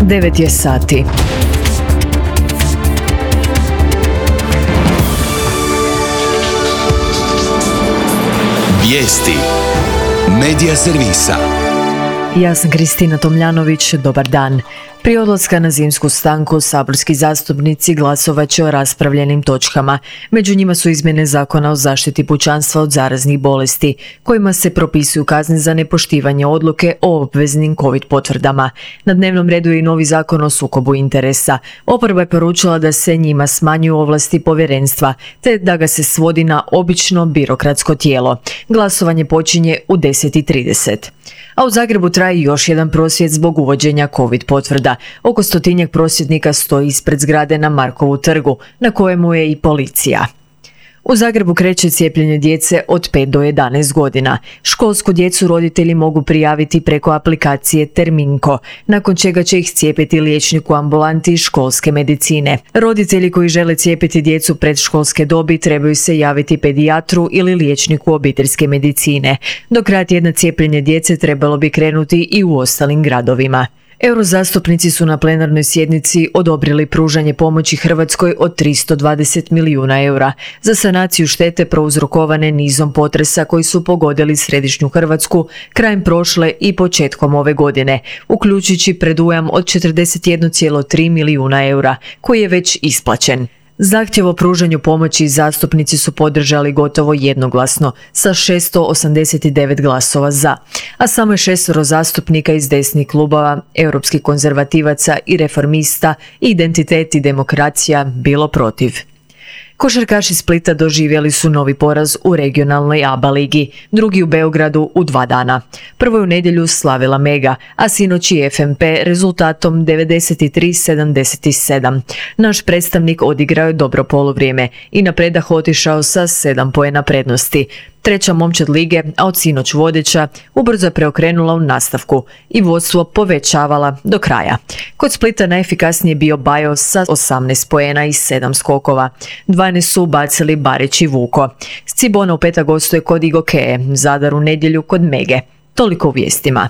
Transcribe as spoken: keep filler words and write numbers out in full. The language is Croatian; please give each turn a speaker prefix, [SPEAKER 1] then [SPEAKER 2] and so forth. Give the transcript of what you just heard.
[SPEAKER 1] devet je sati.
[SPEAKER 2] Vijesti Medija servisa.
[SPEAKER 1] Ja sam Kristina Tomljanović, dobar dan. Prije odlaska na zimsku stanku, saborski zastupnici glasovat će o raspravljenim točkama. Među njima su izmjene Zakona o zaštiti pučanstva od zaraznih bolesti, kojima se propisuju kazne za nepoštivanje odluke o obveznim COVID potvrdama. Na dnevnom redu je i novi Zakon o sukobu interesa. Oporba je poručila da se njima smanjuju ovlasti povjerenstva, te da ga se svodi na obično birokratsko tijelo. Glasovanje počinje u deset i trideset. A u Zagrebu traje još jedan prosvjed zbog uvođenja COVID potvrda. Oko stotinjak prosvjednika stoji ispred zgrade na Markovu trgu, na kojemu je i policija. U Zagrebu kreće cijepljenje djece od pet do jedanaest godina. Školsku djecu roditelji mogu prijaviti preko aplikacije Terminko, nakon čega će ih cijepiti liječnik u ambulanti školske medicine. Roditelji koji žele cijepiti djecu predškolske dobi trebaju se javiti pedijatru ili liječniku obiteljske medicine. Do kraja tjedna cijepljenje djece trebalo bi krenuti i u ostalim gradovima. Eurozastupnici su na plenarnoj sjednici odobrili pružanje pomoći Hrvatskoj od tristo dvadeset milijuna eura za sanaciju štete prouzrokovane nizom potresa koji su pogodili središnju Hrvatsku krajem prošle i početkom ove godine, uključujući predujam od četrdeset jedan zarez tri milijuna eura, koji je već isplaćen. Zahtjev o pružanju pomoći zastupnici su podržali gotovo jednoglasno sa šesto osamdeset devet glasova za, a samo je šestoro zastupnika iz desnih klubova, europskih konzervativaca i reformista, Identitet i demokracija bilo protiv. Košarkaši Splita doživjeli su novi poraz u regionalnoj A B A ligi, drugi u Beogradu u dva dana. Prvo je u nedjelju slavila Mega, a sinoć i F M P rezultatom devedeset tri sedamdeset sedam. Naš predstavnik odigrao je dobro poluvrijeme i na predah otišao sa sedam poena prednosti. Treća momčad lige, a od sinoć vodeća, ubrzo je preokrenula u nastavku i vodstvo povećavala do kraja. Kod Splita najefikasnije bio Bajo sa osamnaest poena i sedam skokova. dvanaest su bacili Barić i Vuko. Scibona u petak gostuje kod Igokeje, Zadar u nedjelju kod Mege. Toliko u vijestima.